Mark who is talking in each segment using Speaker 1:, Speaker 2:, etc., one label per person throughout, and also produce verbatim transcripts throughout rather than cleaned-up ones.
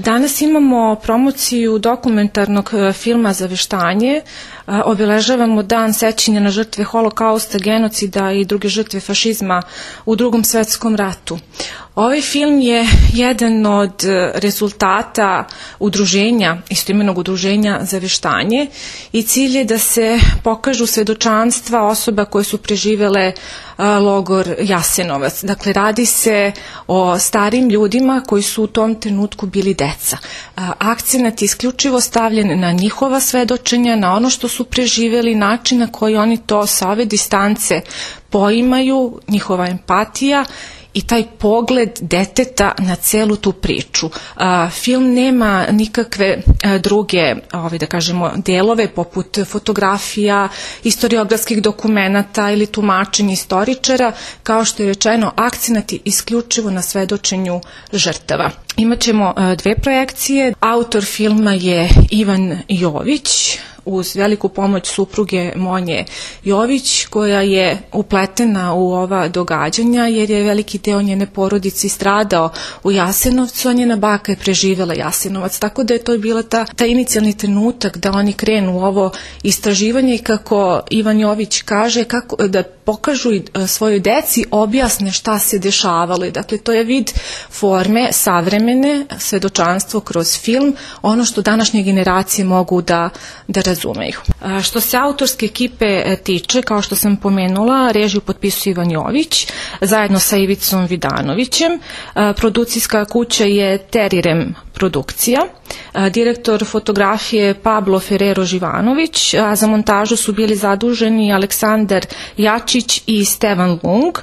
Speaker 1: Danas imamo promociju dokumentarnog filma Zaveštanje. Obeležavamo dan sećanja na žrtve Holokausta, genocida i druge žrtve fašizma u Drugom svetskom ratu. Ovaj film je jedan od rezultata udruženja, istoimenog udruženja Zaveštanje, i cilj je da se pokažu svedočanstva osoba koje su preživele logor Jasenovac. Dakle, radi se o starim ljudima koji su u tom trenutku bili deca. Akcenat je isključivo stavljen na njihova svedočenja, na ono što su preživeli, način na koji oni to sa ove distance poimaju, njihova empatija i taj pogled deteta na celu tu priču. A, film nema nikakve a, druge, ovaj, da kažemo, delove poput fotografija, historiografskih dokumenata ili tumačenja istoričara. Kao što je rečeno, akcenat je isključivo na svedočenju žrtava. Imaćemo a, dve projekcije. Autor filma je Ivan Jović, uz veliku pomoć supruge Monje Jović, koja je upletena u ova događanja jer je veliki deo njene porodice stradao u Jasenovcu, a njena baka je preživela Jasenovac. Tako da je to bila ta, ta inicijalni trenutak da oni krenu u ovo istraživanje i, kako Ivan Jović kaže, kako, da pokažu svojoj deci, objasne šta se dešavalo. Dakle, to je vid forme savremene, svedočanstvo kroz film, ono što današnje generacije mogu da, da razumeju. Što se autorske ekipe tiče, kao što sam pomenula, režiju potpisuje Ivan Jović, zajedno sa Ivicom Vidanovićem. Produkcijska kuća je Terirem produkcija. Direktor fotografije Pablo Ferrero Živanović, a za montažu su bili zaduženi Aleksandar Jačić i Stevan Lung.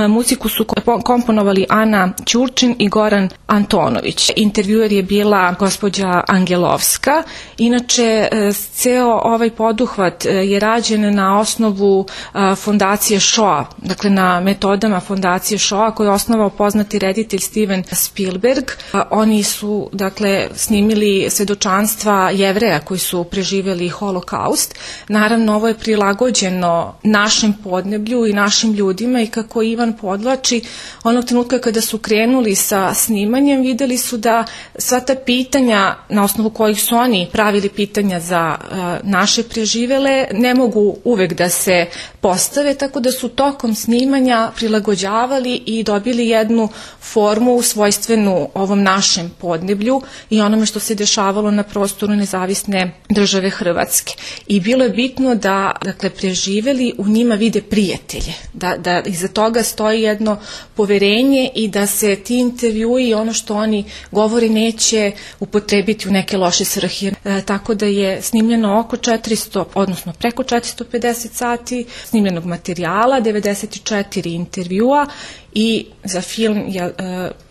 Speaker 1: Muziku su komponovali Ana Ćurčin i Goran Antonović. Intervjuer je bila gospođa Angelovska. Inače, ceo ovaj poduhvat je rađen na osnovu fondacije Shoah, dakle na metodama fondacije Shoah koju je osnovao poznati reditelj Steven Spielberg. Oni su, dakle, snimili svedočanstva Jevreja koji su preživjeli Holokaust. Naravno, ovo je prilagođeno našem podneblju i našim ljudima i kako Ivan podlači, onog trenutka kada su krenuli sa snimanjem, videli su da sva ta pitanja na osnovu kojih su oni pravili pitanja za uh, naše preživele ne mogu uvek da se postave, tako da su tokom snimanja prilagođavali i dobili jednu formu svojstvenu ovom našem podneblju i onome što se dešavalo na prostoru nezavisne države Hrvatske. I bilo je bitno da, dakle, preživeli u njima vide prijatelje, da, da iza toga stoji jedno poverenje i da se ti intervjui i ono što oni govori neće upotrebiti u neke loše svrhe. E, tako da je snimljeno oko četiristo, odnosno preko četiristo pedeset sati snimljenog materijala, devedeset četiri intervjua i za film je uh,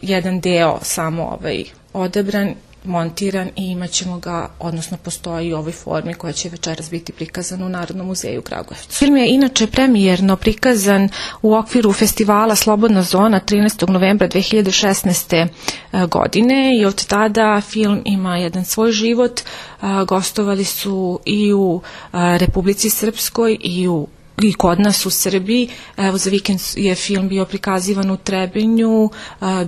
Speaker 1: jedan deo samo ovaj odabran, montiran i imat ćemo ga, odnosno postoji u ovoj formi koja će večeras biti prikazana u Narodnom muzeju u Kragujevcu. Film je inače premijerno prikazan u okviru festivala Slobodna zona trinaestog novembra dve hiljade šesnaeste. godine i od tada film ima jedan svoj život. Gostovali su i u Republici Srpskoj i u i kod nas u Srbiji. Evo, za vikend je film bio prikazivan u Trebinju,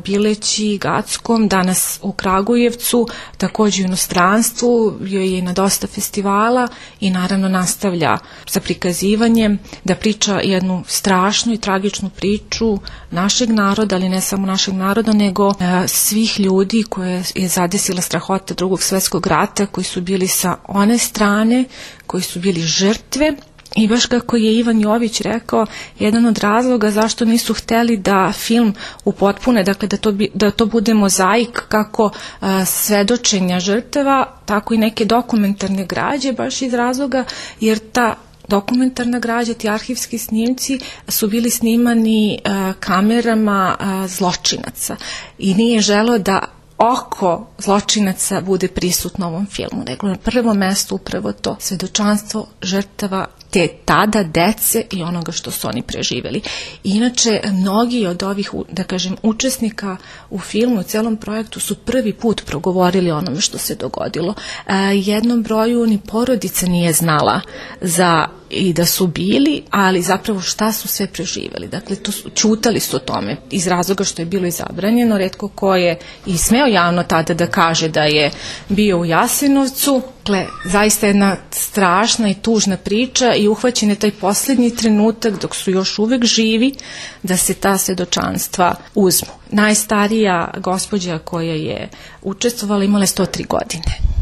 Speaker 1: Bileći, Gackom, danas u Kragujevcu, takođe u inostranstvu, bio je i na dosta festivala i naravno nastavlja sa prikazivanjem da priča jednu strašnu i tragičnu priču našeg naroda, ali ne samo našeg naroda, nego svih ljudi koje je zadesila strahota Drugog svetskog rata, koji su bili sa one strane, koji su bili žrtve. I baš kako je Ivan Jović rekao, jedan od razloga zašto nisu hteli da film upotpune, dakle da to, bi, da to bude mozaik kako a, svedočenja žrtava, tako i neke dokumentarne građe, baš iz razloga jer ta dokumentarna građa, ti arhivski snimci su bili snimani a, kamerama a, zločinaca i nije želeo da oko zločinaca bude prisutno u ovom filmu, nego na prvom mestu upravo to svedočanstvo žrtava te tada dece i onoga što su oni preživeli. Inače, mnogi od ovih, da kažem, učesnika u filmu, u celom projektu su prvi put progovorili o onome što se dogodilo. E, jednom broju ni porodica nije znala za i da su bili, ali zapravo šta su sve preživeli. Dakle, to su, čutali su o tome iz razloga što je bilo izabranjeno. Retko ko je i smeo javno tada da kaže da je bio u Jasenovcu. Dakle, zaista jedna strašna i tužna priča i uhvaćen je taj posljednji trenutak dok su još uvek živi da se ta svedočanstva uzmu. Najstarija gospođa koja je učestvovala imala je sto tri godine.